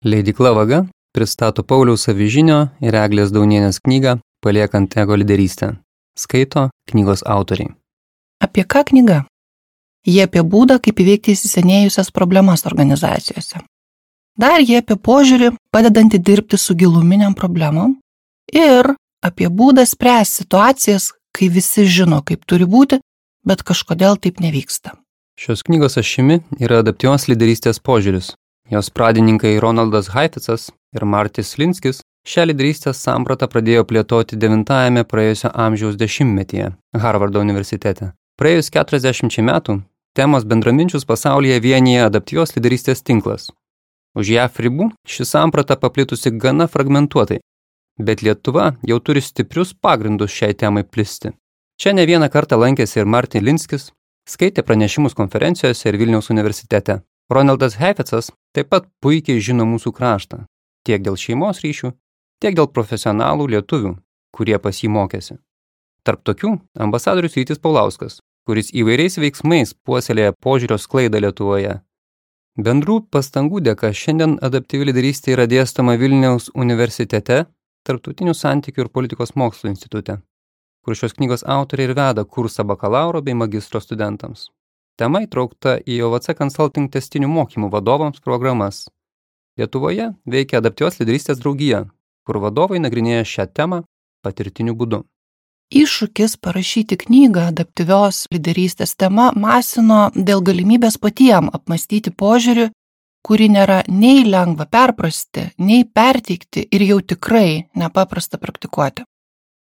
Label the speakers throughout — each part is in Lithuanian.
Speaker 1: Leidykla Vaga pristato Pauliaus Avižinio ir Eglės Daunienės knygą Paliekant ego lyderystę. Skaito knygos autoriai.
Speaker 2: Apie ką knyga? Jie apie būdą, kaip įveikti įsisenėjusias problemas organizacijose. Dar jie apie požiūrį, padedantį dirbti su giluminiam problemom ir apie būdą spręsti situacijas, kai visi žino, kaip turi būti, bet kažkodėl taip nevyksta.
Speaker 1: Šios knygos ašimi yra adaptyvios lyderystės požiūris. Jos pradininkai Ronaldas Heifetzas ir Martis Linskis šią lyderystės sampratą pradėjo plėtoti 9-ajame praėjusio amžiaus dešimtmetyje Harvardo universitete. Praėjus 40 metų temos bendraminčius pasaulyje vienyje adaptyvios lyderystės tinklas. Už JAV ribų ši samprata paplitusi gana fragmentuotai, bet Lietuva jau turi stiprius pagrindus šiai temai plisti. Čia ne vieną kartą lankėsi ir Martin Linskis, skaitė pranešimus konferencijose ir Vilniaus universitete. Ronaldas Heifetzas taip pat puikiai žino mūsų kraštą, tiek dėl šeimos ryšių, tiek dėl profesionalų lietuvių, kurie pas jį mokėsi. Tarp tokių ambasadorius Rytis Paulauskas, kuris įvairiais veiksmais puoselėja požiūrio sklaidą Lietuvoje. Bendrų pastangų dėka šiandien adaptyvi lyderystė yra dėstoma Vilniaus universitete, Tarptautinių santykių ir politikos mokslų institute, kur šios knygos autoriai ir veda kursą bakalauro bei magistro studentams. Tema įtraukta į OVC Consulting tęstinių mokymų vadovams programas. Lietuvoje veikia adaptyvios lyderystės draugija, kur vadovai nagrinėja šią temą patirtiniu būdu.
Speaker 2: Iššūkis parašyti knygą adaptyvios lyderystės tema masino dėl galimybės patiem apmąstyti požiūrį, kurį nėra nei lengva perprasti, nei perteikti ir jau tikrai nepaprasta praktikuoti.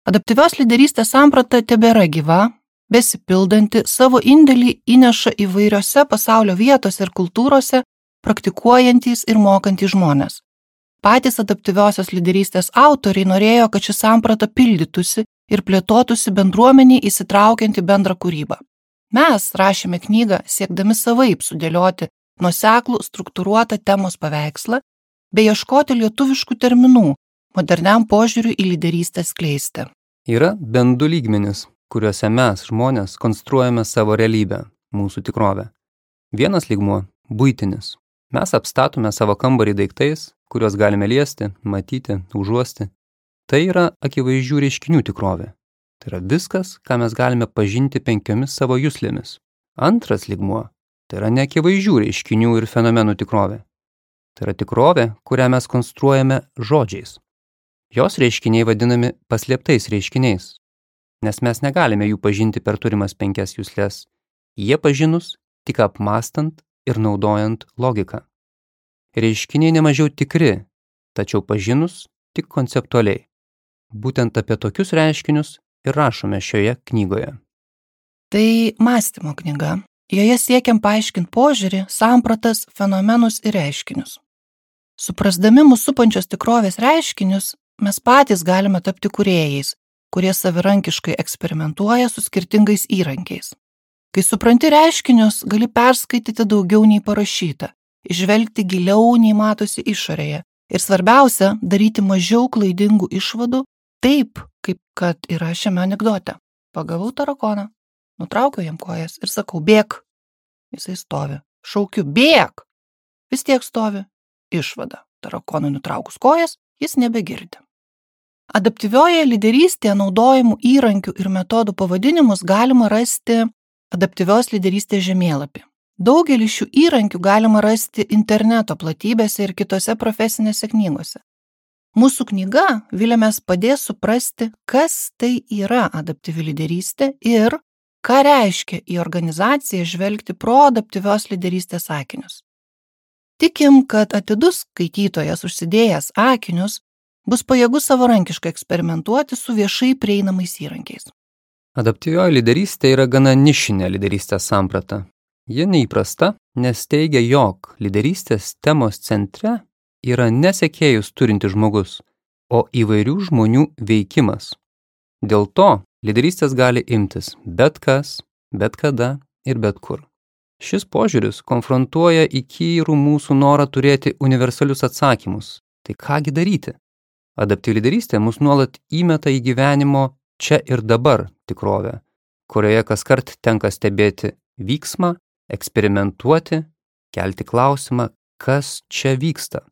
Speaker 2: Adaptyvios lyderystės samprata tebėra gyva, besipildanti, savo indėlį įneša įvairiose pasaulio vietose ir kultūrose praktikuojantys ir mokantys žmonės. Patys adaptyviosios lyderystės autoriai norėjo, kad ši samprata pildytųsi ir plėtotųsi bendruomeniai įsitraukiant į bendrą kūrybą. Mes rašėme knygą siekdami savaip sudėlioti nuoseklų, struktūruotą temos paveikslą bei ieškoti lietuviškų terminų moderniam požiūriui į lyderystę skleisti.
Speaker 1: Yra bent du lygmenys, kuriuose mes, žmonės, konstruojame savo realybę, mūsų tikrovę. Vienas lygmuo – buitinis. Mes apstatome savo kambarį daiktais, kuriuos galime liesti, matyti, užuosti. Tai yra akivaizdžių reiškinių tikrovė. Tai yra viskas, ką mes galime pažinti 5 savo juslėmis. Antras lygmuo – tai yra neakivaizdžių reiškinių ir fenomenų tikrovė. Tai yra tikrovė, kurią mes konstruojame žodžiais. Jos reiškiniai vadinami paslėptais reiškiniais, nes mes negalime jų pažinti per turimas 5 juslės, jie pažinus tik apmąstant ir naudojant logiką. Reiškiniai nemažiau tikri, tačiau pažinus tik konceptualiai. Būtent apie tokius reiškinius ir rašome šioje knygoje.
Speaker 2: Tai mąstymo knyga. Joje siekiam paaiškinti požiūrį, sampratas, fenomenus ir reiškinius. Suprasdami mūsų supančios tikrovės reiškinius, mes patys galime tapti kūrėjais, kurie savirankiškai eksperimentuoja su skirtingais įrankiais. Kai supranti reiškinius, gali perskaityti daugiau nei parašyta, išvelgti giliau nei matosi išorėje ir svarbiausia, daryti mažiau klaidingų išvadų, taip, kaip kad yra šiame anekdote. Pagavau tarakoną, nutraukiau jam kojas ir sakau, bėk. Jisai stovi. Šaukiu, bėk. Vis tiek stovi. Išvada. Tarakonui nutraukus kojas, jis nebegirdi. Adaptyvioje lyderystėje naudojimų įrankių ir metodų pavadinimus galima rasti adaptyvios lyderystės žemėlapį. Daugelį šių įrankių galima rasti interneto platybėse ir kitose profesinėse knygose. Mūsų knyga, viliamės, padės suprasti, kas tai yra adaptyvi lyderystė ir ką reiškia į organizaciją žvelgti pro adaptyvios lyderystės akinius. Tikim, kad atidus skaitytojas užsidėjęs akinius bus pajėgus savarankiškai eksperimentuoti su viešai prieinamais įrankiais.
Speaker 1: Adaptyvioji lyderystė yra gana nišinė lyderystės samprata. Ji neįprasta, nes teigia, jog lyderystės temos centre yra ne sekėjus turintis žmogus, o įvairių žmonių veikimas. Dėl to lyderystės gali imtis bet kas, bet kada ir bet kur. Šis požiūris konfrontuoja įkyrų mūsų norą turėti universalius atsakymus. Tai kągi daryti? Adaptyvi lyderystė mus nuolat įmeta į gyvenimo čia ir dabar tikrovę, kurioje kaskart tenka stebėti vyksmą, eksperimentuoti, kelti klausimą, kas čia vyksta.